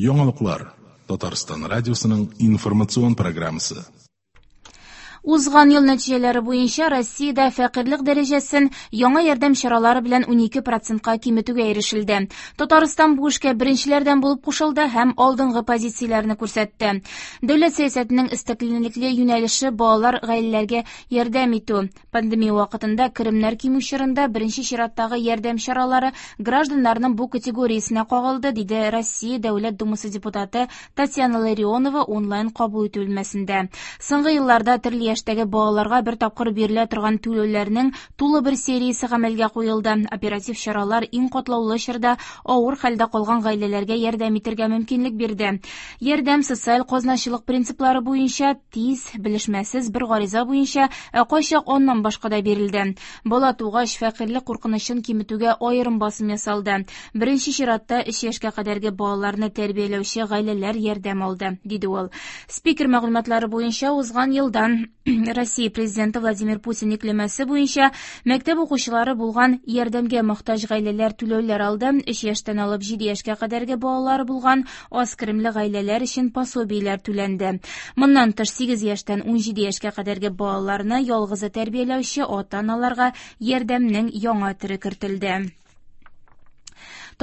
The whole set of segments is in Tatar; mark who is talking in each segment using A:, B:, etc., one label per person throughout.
A: Яңалыклар. Татарстан радиосының информацион программасы.
B: Узган ел нәтиҗәләре буенча Россиядә фәкыйрьлек дәрәҗәсен яңа ярдәм чаралары белән 12 процентка киметүгә ирешелде. Татарстан бу эшкә беренчеләрдән булып кушылды һәм алдынгы позицияләрне күрсәтте. Дәүләт сәясәтенең өстенлекле юнәлеше балалар гаиләләргә ярдәм итү. Пандемия вакытында керемнәр кимү чорында беренче чираттагы ярдәм чаралары гражданнарның бу категориясенә кагылды, диде Россия Дәүләт Думасы депутаты Татьяна Ларионова онлайн кабул итү бүлмәсендә. Соңгы елларда төрле яшьтәге балаларга бер тапкыр бирелә торган түләүләрнең тулы бер сериясе гамәлгә куелды. Оператив чаралар иң катлаулы чорда авыр хәлдә калган гаиләләргә ярдәм итәргә мөмкинлек бирде. Ярдәм социаль казначылык принциплары буенча тиз, белешмәсез бер гариза буенча, ә кайчак аннан башка да бирелде. Бала тугач, фәкыйрьлек куркынычын киметүгә аерым басым ясалды. Беренче чиратта 3 яшькә кадәрге балаларны тәрбияләүче гаиләләр ярдәм алды, диде ул. Спикер мәгълүматлары буенча узган елдан Россия президенты Владимир Путин йөкләмәсе буенча мәктәп укучылары булган ярдәмгә мохтаҗ гаиләләр түләүләр алды. 3 яшьтән алып 7 яшькә кадәрге балалары булган аз керемле гаиләләр өчен пособиеләр түләнде. Моннан тыш 8 яшьтән 17 яшькә кадәрге балаларны ялгызы тәрбияләүче ата-аналарга ярдәмнең яңа төре кертелде.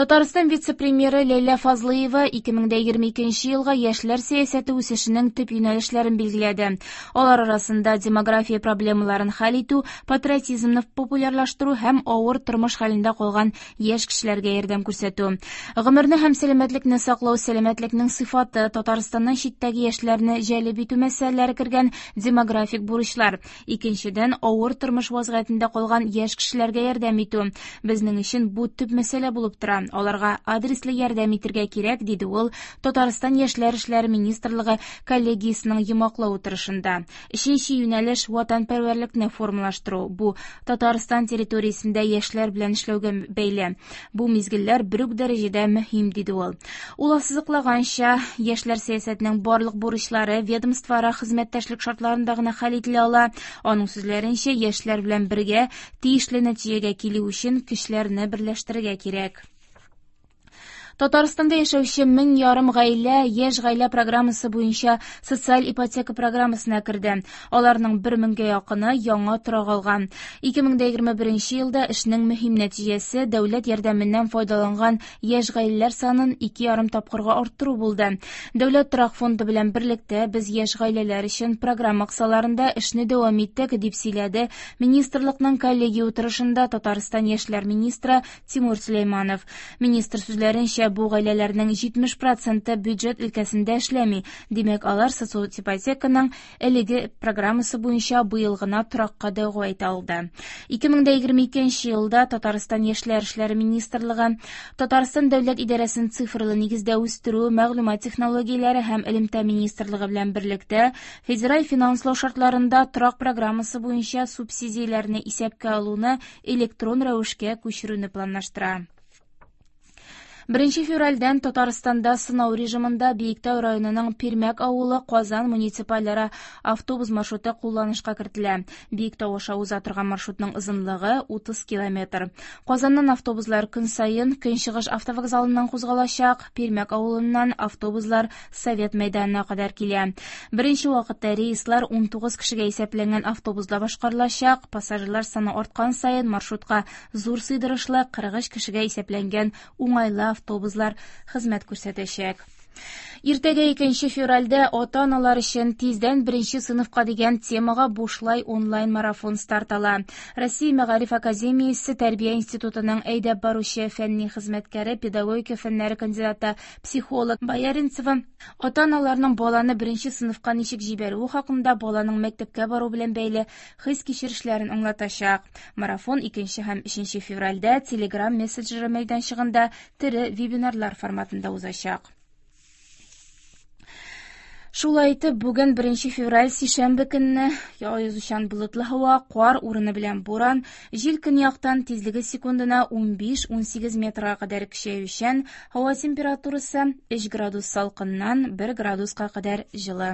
B: Татарстан вице-премьеры Ләйлә Фазлыева 2022 елга яшьләр сәясәте үсешенең төп юнәлешләрен билгеләде. Алар арасында демография проблемаларын хәл итү, патриотизмны популярлаштыру һәм авыр тормыш хәлендә калган яшь кешеләргә ярдәм күрсәтү. Гомерне һәм сәламәтлекне саклау, сәламәтлекнең сыйфаты, Татарстаннан читтәге яшьләрне җәлеп итү мәсьәләләре кергән демографик бурычлар. Икенчедән, авыр тормыш вазгыятендә калган яшь кешеләргә ярдәм итү. Безнең өчен бу төп мәсьәлә булып тора. Аларга адреслы ярдәм итәргә кирәк, диде ул Татарстан яшьләр эшләре министрлыгы коллегиясенең йомгаклау утырышында. Өченче юнәлеш ватанпәрвәрлекне формалаштыру. Бу Татарстан территориясендә яшьләр белән эшләүгә бәйле. Бу мизгелләр бер үк дәрәҗәдә мөһим, диде ул. Ул ассызыклаганча, яшьләр сәясәтенең барлык бурычлары ведомствоара хезмәттәшлек шартларында гына хәл ителә ала. Аның сүзләренчә, яшьләр белән бергә тиешле нәтиҗәгә килү өчен көчләрне берләштерергә кирәк. Татарстанда яшәүче 1500 гаилә Яшь гаилә программасы буенча социаль ипотека программасына керде. Аларның 1000гә якыны яңа торак алган. 2021 елда эшнең мөһим нәтиҗәсе дәүләт ярдәменнән файдаланган яшь гаиләләр санын 2,5 тапкырга арттыру булды. Дәүләт торак фонды белән берлектә без яшь гаиләләр өчен программа кысаларында эшне дәвам иттек, дип сөйләде министрлыкның коллегия утырышында Татарстан яшьләр министры Тимур Сөләйманов. Министр сүзләренчә, бу гаиләләрнең 70% бюджет өлкәсендә эшләми. Димәк, алар социаль ипотеканың әлеге программасы буенча быел гына торакка дәгъва итә алды. 2022 елда Татарстан яшьләр эшләре министрлыгы Татарстан дәүләт идарәсен цифрлы нигездә үстерү, мәгълүмат технологияләре һәм элемтә министрлыгы белән берлектә федераль финанслау шартларында торак программасы буенча субсидияләрне исәпкә алуны электрон рәвешкә күчерүне планлаштыра. 1 февральдән Татарстанда сынау режимында Биектау районының Пирмәк авылы Казан муниципальара автобус маршруты кулланышка кертелә. Биектау аша уза торган маршрутның озынлыгы 30 километр. Казаннан автобуслар көн саен Көнчыгыш автовокзалыннан кузгалачак. Пирмәк авылыннан автобуслар Совет мәйданына кадәр килә. Беренче вакытта рейслар 19 кешегә исәпләнгән автобусда башкарылачак. Пассажирлар саны арткан саен маршрутка зур сыйдырышлы 43 кешегә исәпләнгән уңайлы автобуслар хезмәт күрсәтәчәк. Иртәгә 2 февральдә ата-аналар өчен тиздән беренче сыйныфка дигән темага бушлай онлайн марафон старт ала. Россия Мәгариф академиясе Тәрбия институтының әйдәп баручы фәнни хезмәткәре, педагогика фәннәре кандидаты, психолог Бояринцева ата-аналарның баланы беренче сыйныфка ничек җибәрүе хакында баланың мәктәпкә бару белән бәйле хис-кичерешләрен аңлатачак. Марафон 2 һәм 3 февральдә Telegram мессенджеры мәйданчыгында тере вебинарлар форматында узачак. Шулай итеп, бүген 1 февраль сишәмбе көнне аязучан болытлы һава, кар урыны белән буран, җил көньяктан тизлеге секундына 15-18 метрга кадәр көчәючән, һава температурасы 3 градус салкыннан 1 градуска кадәр җылы.